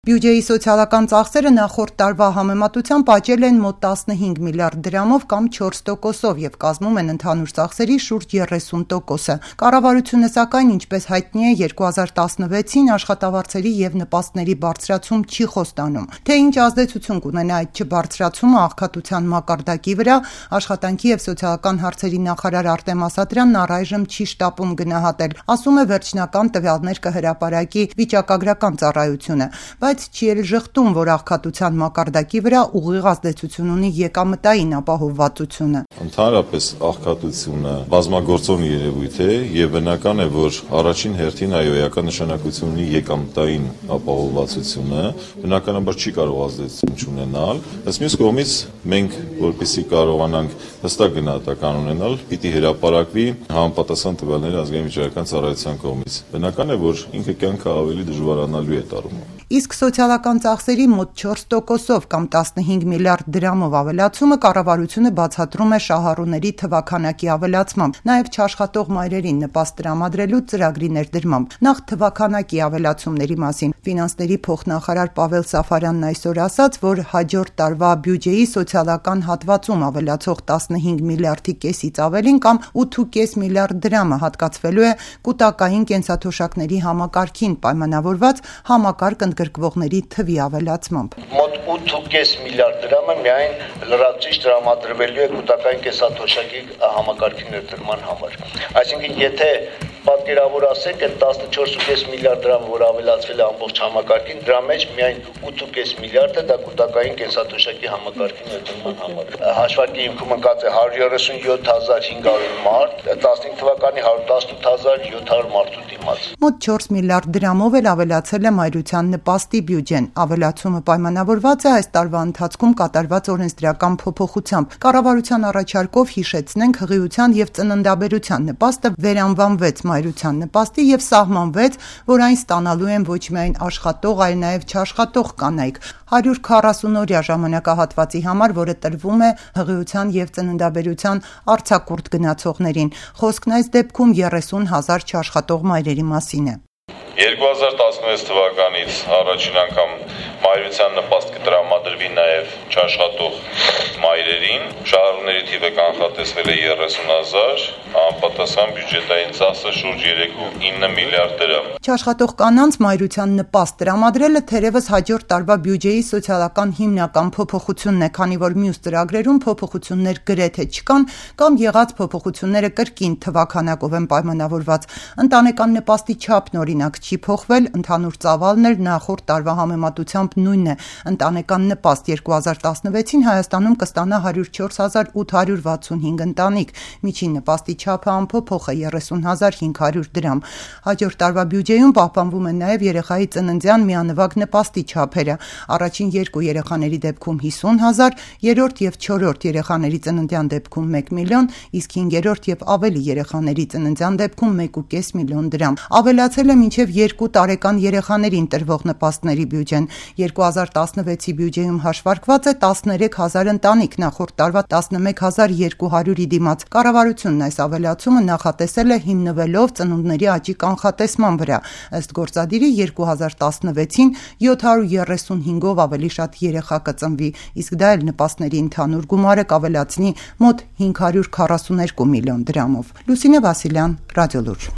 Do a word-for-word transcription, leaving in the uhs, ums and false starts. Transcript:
Բյուջեի սոցիալական ծախսերը նախորդ տարվա համեմատությամբ աճել են մոտ տասնհինգ միլիարդ դրամով կամ չորս տոկոսով և կազմում են ընդհանուր ծախսերի շուրջ երեսուն տոկոսը։ Կառավարությունը սակայն, ինչպես հայտնի է, երկու հազար տասնվեցին աշխատավարձերի և նպաստների բարձրացում չի խոստանում։ Թե ինչ ազդեցություն կունենա այդ չբարձրացումը աղքատության մակարդակի վրա, Աշխատանքի և սոցիալական հարցերի նախարար Արտեմ Ասատրյանն առայժմ չի շտապում գնահատել, ասում է վերջնական տվյալներ կհրապարակի վիճակագրական ծառայությունը, բայց չի էլ ժխտում, որ աղքատության մակարդակի վրա ուղիղ ազդեցություն ունի եկամտային ապահովվածությունը։ Ընդհանրապես աղքատությունը բազմագործոն երևույթ է և բնական է, որ առաջին հերթին այո էական նշանակություն ունի եկամտային ապահովվածությունը, բնականաբար չի կարող ազդեցություն չունենալ, բայց մյուս կողմից մենք, որպեսզի կարողանանք հստակ գնահատական ունենալ, պիտի հրապարակվի համապատասխան տվյալները ազգային վիճակագրական ծառայության կողմից։ Բնական է, որ ինքը կյանքը ավելի դժվարանալու է դառնում։ Իսկ սոցիալական ծախսերի մոտ չորս տոկոսով կամ տասնհինգ միլիարդ դրամով ավելացումը կառավարությունը բացատրում է շահառուների թվաքանակի ավելացմամբ, նաև չաշխատող մայրերին նպաստ տրամադրելու ծրագրի ներդրմամբ։ Նախ թվաքանակի ավելացումների մասին ֆինանսների փոխնախարար Պավել Սաֆարյանն այսօր ասաց, որ հաջորդ տարվա բյուջեի սոցիալական հատվածում ավելացող տասնհինգ միլիարդի կեսից ավելին կամ ութ ու կես միլիարդ դրամը հատկացվելու է կուտակային կենսաթոշակների համակարգին պայմանավորված համակարգ ընդգրկվողների թվի ավելացմամբ։ Մոտ ութ ու կես միլիարդ դրամը միայն լրացուցիչ տրամադրվելու է կուտակային կենսաթոշակի համակարգի ներդրման համար։ Այսինքն, եթե պատկերավոր ասենք, այդ տասնչորս ու կես միլիարդ դրամը, որ ավելացվել է ամբողջ համակարգին, դրա մեջ միայն ութ ու կես միլիարդը դա կուտակային կենսաթոշակի համակարգի ներդրման համար։ Հաշվարկի հիմքում ընկած է հարյուր երեսունյոթ հազար հինգ հարյուր մարդ, տասնհինգ թվականի հարյուր տասնութ հազար յոթ հարյուր մարդու դիմաց։ Մոտ չորս միլիարդ դրամով էլ ավելացել է մայրության նպաստի բյուջեն։ Ավելացումը պայմանավորված է այս տարվա ընթացքում կատարված օրենսդրական փոփոխությամբ։ Կառավարության առաջարկով հիշեցնենք հղիության և ծննդաբերության նպաստը վերանվանվեց մայրության նպաստի և սահմանվեց, որ այն ստանալու են ոչ միայն աշխատող, այլ նաև չաշխատող կանայք։ հարյուր քառասունօրյա ժամանակահատվածի համար, որը տրվում է հղիության և ծննդաբերության արձակուրդ գնացողներին։ Խոսքն այս դեպքում երեսուն հազար չաշխատող մայրերի մասին է։ երկու հազար տասնվեց թվականից առաջին անգամ մայրության նպաստ կտրամադրվի նաև չաշխատող մայրերին, շահառուների թիվը կանխատեսվել է երեսուն հազար, համապատասխան բյուջետային ծախսը շուրջ երեք ու ինը միլիարդ դրամ։ Չաշխատող կանանց մայրության նպաստ տրամադրելը թերևս հաջորդ տարվա բյուջեի սոցիալական հիմնական փոփոխությունն է, քանի որ մյուս ծրագրերում փոփոխություններ գրեթե չկան կամ եղած փոփոխությունները կրկին թվաքանակով են պայմանավորված։ Ընտանեկան նպաստի չափն օրինակ չի փոխվել, ընդհանուր ծավալն էլ նախորդ տարվա համեմատությամբ նույնն է։ Ընտանեկան նպաստ երկու հազար տասնվեցին Հայաստանում կստանա հարյուր չորս հազար ութ հարյուր վաթսունհինգ ընտանիք, միջին նպաստի չափը անփոփոխ է երեսուն հազար հինգ հարյուր դրամ։ Հաջորդ տարվա բյուջեում պահպանվում են նաև երեխայի ծննդյան միանվագ նպաստի չափերը։ Առաջին երկու երեխաների դեպքում հիսուն հազար, երրորդ և չորրորդ երեխաների ծննդյան դեպքում մեկ միլիոն, իսկ հինգերորդ և ավելի երեխաների ծննդյան դեպքում մեկ ու կես միլիոն դրամ։ Ավելացել է մինչև երկու տարեկան երեխաներին տրվող նպաստների բյուջեն։ երկու հազար տասնվեցի բյուջեում հաշվարկված է տասներեք հազար ընտանիք, նախորդ տարվա տասնմեկ հազար երկու հարյուրի դիմաց։ Կառավարությունն այս ավելացումը նախատեսել է հիմնվելով ծնունդների աճի կանխատեսման վրա։ Ըստ գործադիրի երկու հազար տասնվեցին յոթ հարյուր երեսունհինգով ավելի շատ երեխա կծնվի, իսկ դա էլ նպաստների ընդհանուր գումարը կավելացնի մոտ հինգ հարյուր քառասուներկու միլիոն դրամով։ Լուսինե Վասիլյան, Ռադիոլուր։